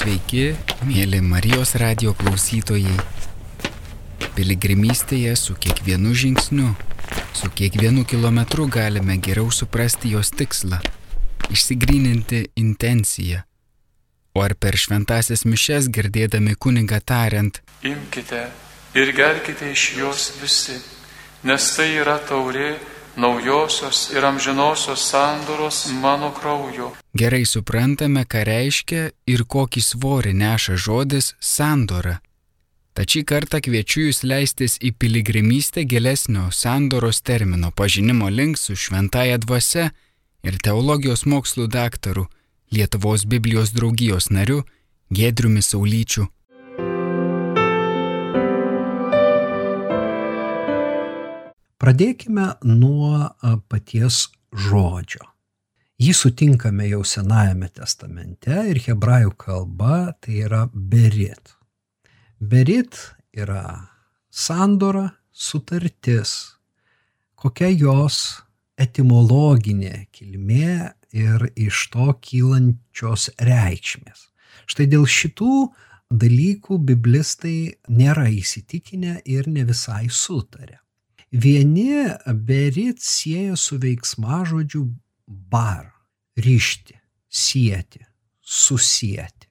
Sveiki, mėly Marijos radijo klausytojai. Piligrimystėje su kiekvienu žingsniu, su kiekvienu kilometru galime geriau suprasti jos tikslą, išsigryninti intenciją. O ar per šventąsias mišias girdėdami kunigą tariant: Imkite ir gerkite iš jos visi, nes tai yra taurė naujosios ir amžinosios sandoros mano kraujo. Gerai suprantame, ką reiškia ir kokį svorį neša žodis sandora. Tad šį kartą kviečiu jūs leistis į piligrimystę gilesnio sandoros termino pažinimo link su šventąja dvasia ir teologijos mokslų daktaru, Lietuvos Biblijos draugijos nariu Giedriumi Saulyčiu. Pradėkime nuo paties žodžio. Jį sutinkame jau Senajame testamente ir hebrajų kalba tai yra berit. Berit yra sandora, sutartis, kokia jos etimologinė kilmė ir iš to kylančios reikšmės. Štai dėl šitų dalykų biblistai nėra įsitikinę ir ne visai sutarė. Vieni berit sieja su veiksmažodžiu bar, rišti, sieti, susieti.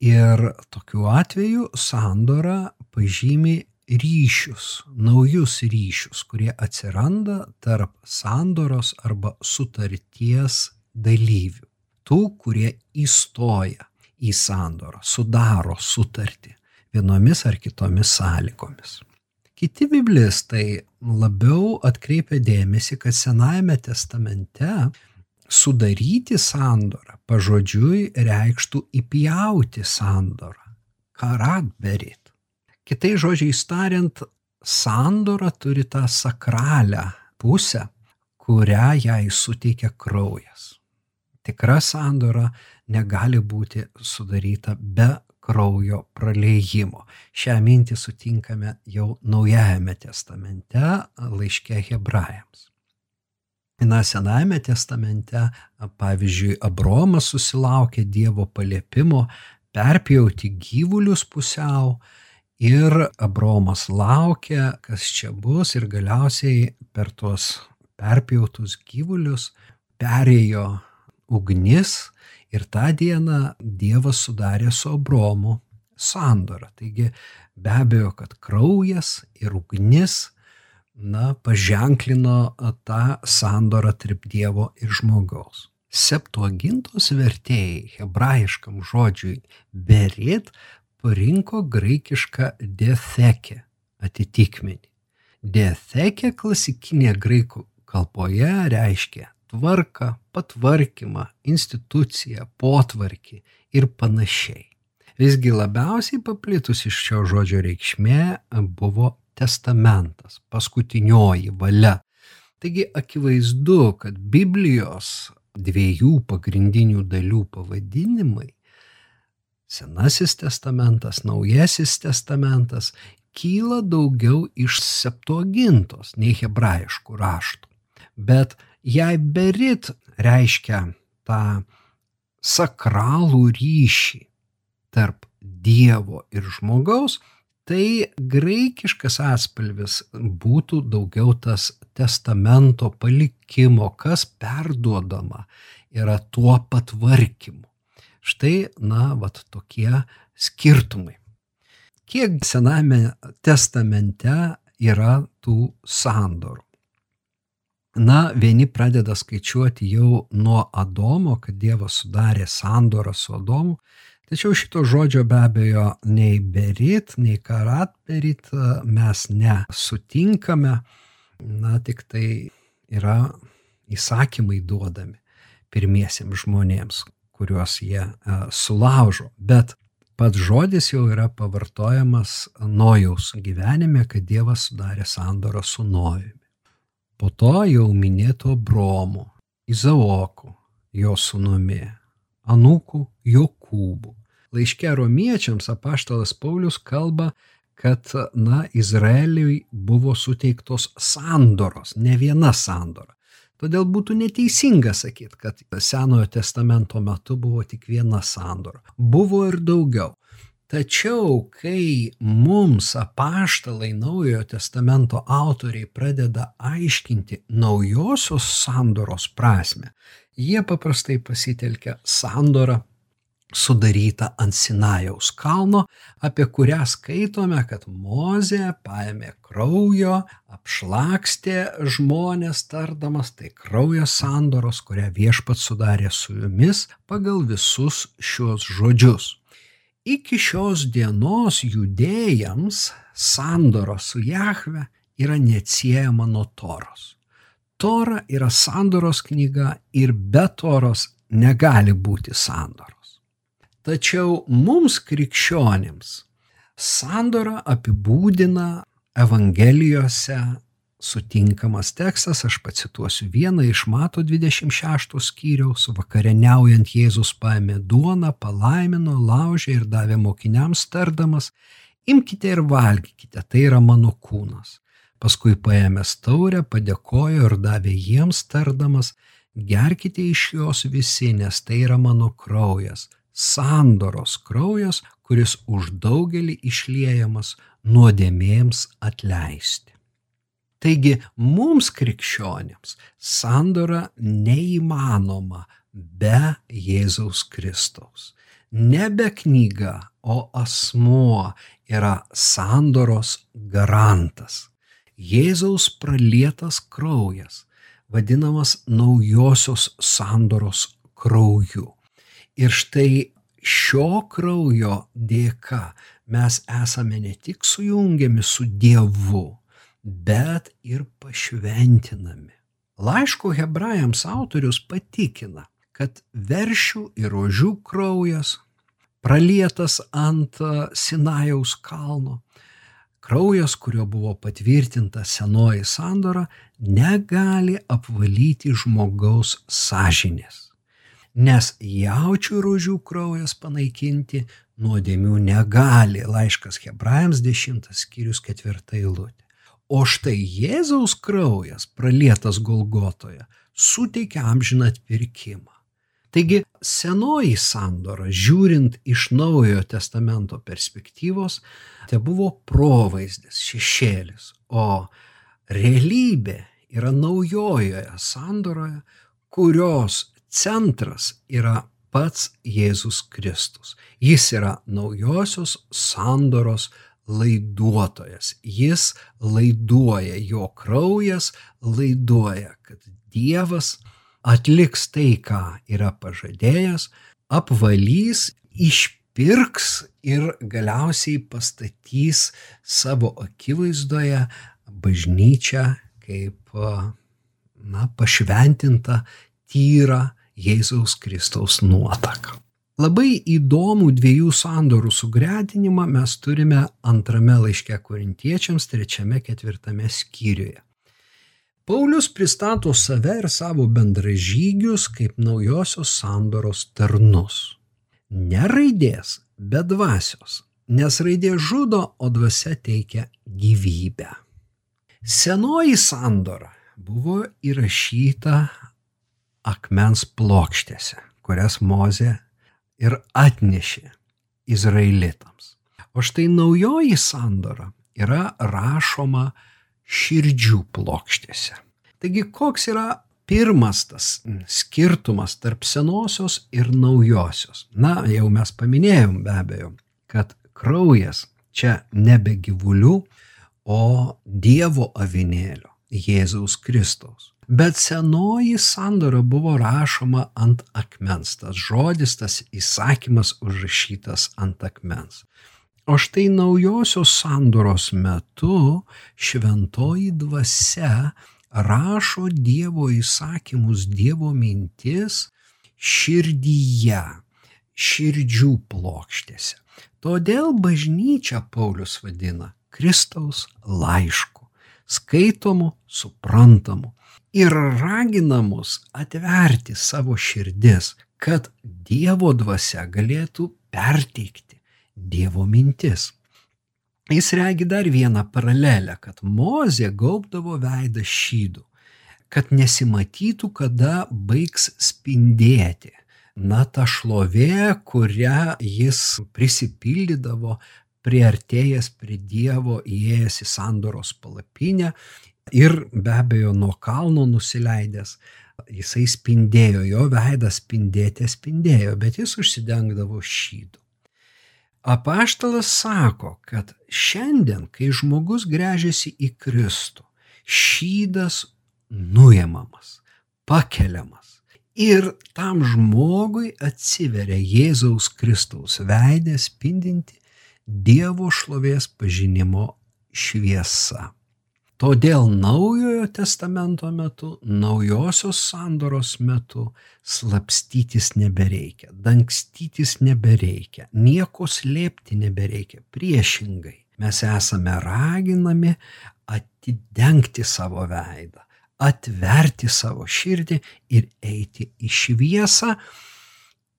Ir tokiu atveju sandora pažymi ryšius, naujus ryšius, kurie atsiranda tarp sandoros arba sutarties dalyvių. Tų, kurie įstoja į sandorą, sudaro sutartį vienomis ar kitomis sąlygomis. Kiti biblistai labiau atkreipia dėmesį, kad Senajame testamente sudaryti sandorą pažodžiui reikštų įpjauti sandorą, karat berit. Kitais žodžiais tariant, sandora turi tą sakralią pusę, kurią jai suteikia kraujas. Tikra sandora negali būti sudaryta be kraujo praliejimo. Šią mintį sutinkame jau Naujajame testamente laiške hebrajams. Senajame testamente, pavyzdžiui, Abraomas susilaukė Dievo paliepimo perpjauti gyvulius pusiau ir Abraomas laukė, kas čia bus, ir galiausiai per tuos perpjautus gyvulius perėjo ugnis. Ir tą dieną Dievas sudarė su Abraomu sandorą. Taigi be abejo, kad kraujas ir ugnis paženklino tą sandorą tarp Dievo ir žmogaus. Septuagintos vertėjai hebrajiškam žodžiui berit parinko graikišką diatheke atitikmenį. Diatheke klasikinėje graikų kalboje reiškia tvarką, patvarkymą, instituciją, potvarkį ir panašiai. Visgi labiausiai paplitusi šio žodžio reikšmė buvo testamentas, paskutinioji valia. Taigi akivaizdu, kad Biblijos dviejų pagrindinių dalių pavadinimai, Senasis testamentas, Naujasis testamentas, kyla daugiau iš Septuagintos nei hebrajiškų raštų. Bet jei berit reiškia tą sakralų ryšį tarp Dievo ir žmogaus, tai graikiškas atspalvis būtų daugiau tas testamento palikimo, kas perduodama yra tuo patvarkymu. Štai, tokie skirtumai. Kiek Sename testamente yra tų sandorų? Vieni pradeda skaičiuoti jau nuo Adomo, kad Dievas sudarė sandorą su Adomu, tačiau šito žodžio be abejo nei berit, nei karat berit mes nesutinkame, tik tai yra įsakymai duodami pirmiesiems žmonėms, kuriuos jie sulaužo, bet pats žodis jau yra pavartojamas Nojaus gyvenime, kad Dievas sudarė sandorą su Nojumi. Po to jau minėto Abraomu, Izaoku, jo sūnumi, anūku Jokūbu. Laiške Romiečiams apaštalas Paulius kalba, kad Izraeliui buvo suteiktos sandoros, ne viena sandora. Todėl būtų neteisinga sakyti, kad Senojo testamento metu buvo tik viena sandora. Buvo ir daugiau. Tačiau, kai mums apaštalai Naujojo testamento autoriai pradeda aiškinti naujosios sandoros prasmę, jie paprastai pasitelkia sandorą sudaryta ant Sinajaus kalno, apie kurią skaitome, kad Mozė paėmė kraujo, apšlakstė žmonės tardamas, tai kraujo sandoros, kurią Viešpats sudarė su jumis pagal visus šios žodžius. Iki šios dienos judėjams sandora su Jahve yra neatsiejama nuo Toros. Tora yra sandoros knyga ir be Toros negali būti sandoros. Tačiau mums krikščionims sandorą apibūdina Evangelijose sutinkamas tekstas, aš pacituosiu vieną iš Mato 26 skyriaus. Vakarieniaujant Jėzus paėmė duoną, palaimino, laužė ir davė mokiniams tardamas, imkite ir valgykite, tai yra mano kūnas. Paskui paėmęs taurę, padėkojo ir davė jiems tardamas, gerkite iš jos visi, nes tai yra mano kraujas. Sandoros kraujas, kuris už daugelį išliejamas nuodėmėms atleisti. Taigi mums krikščionims sandora neįmanoma be Jėzaus Kristaus. Nebe knyga, o asmuo yra sandoros garantas. Jėzaus pralietas kraujas, vadinamas naujosios sandoros krauju. Ir štai šio kraujo dėka mes esame ne tik sujungiami su Dievu, bet ir pašventinami. Laiško Hebrajams autorius patikina, kad veršių ir ožių kraujas, pralietas ant Sinajaus kalno, kraujas, kurio buvo patvirtinta senoji sandora, negali apvalyti žmogaus sąžinės. Nes jaučių ir ožių kraujas panaikinti nuodėmių negali. Laiškas Hebrajams 10 skyrius 4 eilutė. O štai Jėzaus kraujas, pralietas Golgotoje, suteikia amžiną atpirkimą. Taigi senoji sandora, žiūrint iš Naujojo testamento perspektyvos, tai buvo provaizdis, šešėlis, o realybė yra naujojoje sandoroje, kurios centras yra pats Jėzus Kristus. Jis yra naujosios sandoros laiduotojas. Jis laiduoja, jo kraujas laiduoja, kad Dievas atliks tai, ką yra pažadėjęs, apvalys, išpirks ir galiausiai pastatys savo akivaizdoje bažnyčią kaip pašventinta, tyra Jėzaus Kristaus nuotaka. Labai įdomų dviejų sandorų sugretinimą mes turime antrame laiške Korintiečiams 3-4 skyriuje. Paulius pristato save ir savo bendražygius kaip naujosios sandoros tarnus. Ne raidės, bet dvasios, nes raidė žudo, o dvasia teikia gyvybę. Senoji sandora buvo įrašyta akmens plokštėse, kurias Mozė ir atnešė izraelitams. O štai naujoji sandora yra rašoma širdžių plokštėse. Taigi koks yra pirmas tas skirtumas tarp senosios ir naujosios? Jau mes paminėjom be abejo, kad kraujas čia nebe gyvulių, o Dievo avinėlio, Jėzaus Kristaus. Bet senoji sandora buvo rašoma ant akmens, tas žodis, tas įsakymas užrašytas ant akmens. O štai naujosios sandoros metu šventoji dvasia rašo Dievo įsakymus, Dievo mintis širdyje, širdžių plokštėse. Todėl bažnyčią Paulius vadina Kristaus laišku, skaitomu, suprantamu. Ir ragina mus atverti savo širdis, kad Dievo dvasia galėtų perteikti Dievo mintis. Jis regi dar vieną paralelę, kad Mozė gaubdavo veidą šydu, kad nesimatytų, kada baigs spindėti. Na, ta šlovė, kurią jis prisipildydavo, priartėjęs prie Dievo, įėjęs į sandoros palapinę ir be abejo nuo kalno nusileidęs, jisai spindėjo, jo veidas spindėjo, bet jis užsidengdavo šydu. Apaštalas sako, kad šiandien, kai žmogus gręžiasi į Kristų, šydas nuimamas, pakeliamas ir tam žmogui atsiveria Jėzaus Kristaus veidą spindinti Dievo šlovės pažinimo šviesa. Todėl Naujojo testamento metu, naujosios sandoros metu slapstytis nebereikia, dangstytis nebereikia, nieko slėpti nebereikia. Priešingai, mes esame raginami atidengti savo veidą, atverti savo širdį ir eiti į šviesą,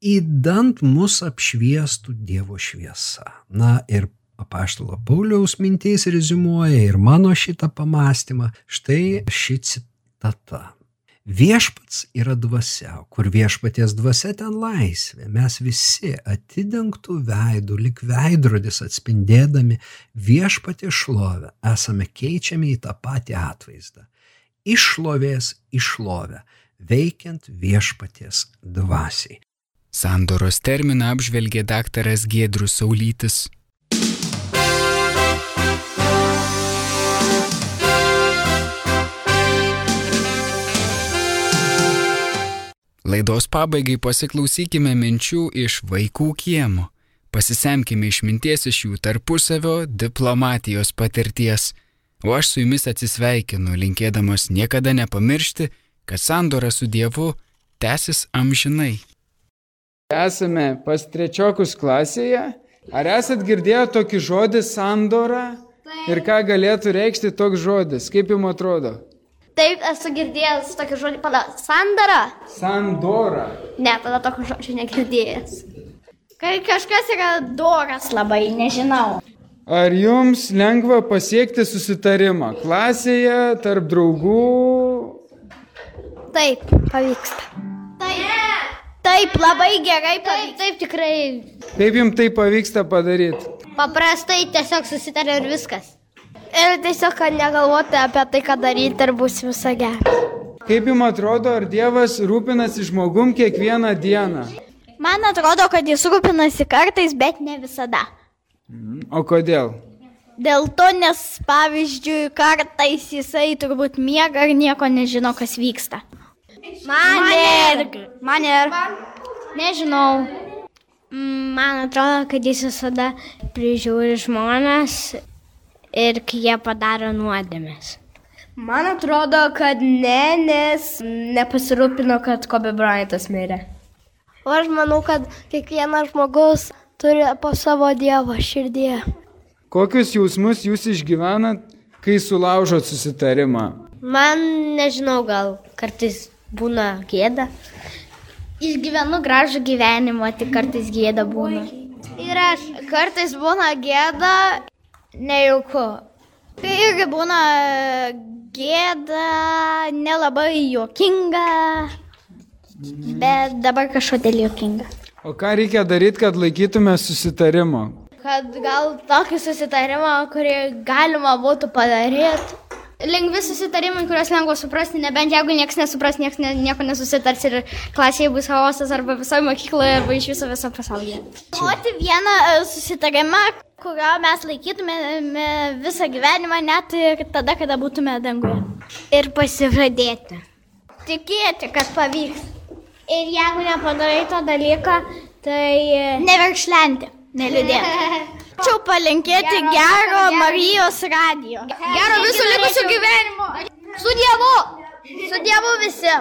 idant mus apšviestų Dievo šviesa. Na ir apaštalo Pauliaus mintys reziumuoja ir mano šitą pamastymą. Štai ši citata. Viešpats yra dvasia, kur viešpaties dvasia ten laisvė. Mes visi atidengtų veidų, lyg veidrodis atspindėdami viešpaties šlovę, esame keičiami į tą patį atvaizdą. Iš šlovės į šlovę, veikiant viešpaties dvasiai. Sandoros terminą apžvelgė daktaras Giedrius Saulytis. Laidos pabaigai pasiklausykime minčių iš vaikų kiemo. Pasisemkime išminties iš jų tarpusavio diplomatijos patirties. O aš su jumis atsisveikinu, linkėdamas niekada nepamiršti, kad sandora su Dievu tęsis amžinai. Esame pas trečiokus klasėje. Ar esat girdėję tokį žodį sandora? Ir ką galėtų reikšti toks žodis? Kaip jums atrodo? Taip, esu girdėjęs tokį žodį, sandara. Sandora. Ne, tada tokio žodžio negirdėjęs. Kai kažkas yra doras labai, nežinau. Ar jums lengva pasiekti susitarimą klasėje, tarp draugų? Taip, pavyksta. Taip, labai gerai pavyksta. Taip, tikrai. Kaip jums tai pavyksta padaryti? Paprastai tiesiog susitaria ir viskas. Ir tiesiog negalvoti apie tai, ką daryti ir bus visą gerą. Kaip jums atrodo, ar Dievas rūpinasi žmogum kiekvieną dieną? Man atrodo, kad jis rūpinasi kartais, bet ne visada. O kodėl? Dėl to, nes pavyzdžiui, kartais jisai turbūt miega ir nieko nežino, kas vyksta. Man ir. Nežinau. Man atrodo, kad jis visada prižiūri žmones ir kai jie padaro nuodėmes. Man atrodo, kad ne, nes nepasirūpino, kad Kobe Bryantas mirė. O aš manau, kad kiekvienas žmogus turi po savo Dievo širdyje. Kokius jausmus jūs išgyvenat, kai sulaužot susitarimą? Man nežinau, gal kartais būna gėda. Išgyvenu gražų gyvenimą, tik kartais gėda būna. Ir aš kartais būna gėda, nejauku. Tai irgi būna gėda, nelabai juokinga, bet dabar kažkodėl juokinga. O ką reikia daryti, kad laikytume susitarimo? Kad gal tokį susitarimą, kurį galima būtų padaryti. Lengvi susitarimai, kuriuos lengva suprasti, nebent jeigu niekas nesupras, nieko nesusitars ir klasėje bus chaosas arba visoje mokykloje arba iš viso pasaulyje. Duoti vieną susitarimą, kurio mes laikytumėme visą gyvenimą, net ir tada, kada būtume danguje. Ir pasižadėti. Tikėti, kad pavyks. Ir jeigu nepadarai to dalyką, tai neverkšlenti, neliūdėti. Čia palinkėti gero Marijos radijo. Gero visų likusių gyvenimo. Su Dievu visi.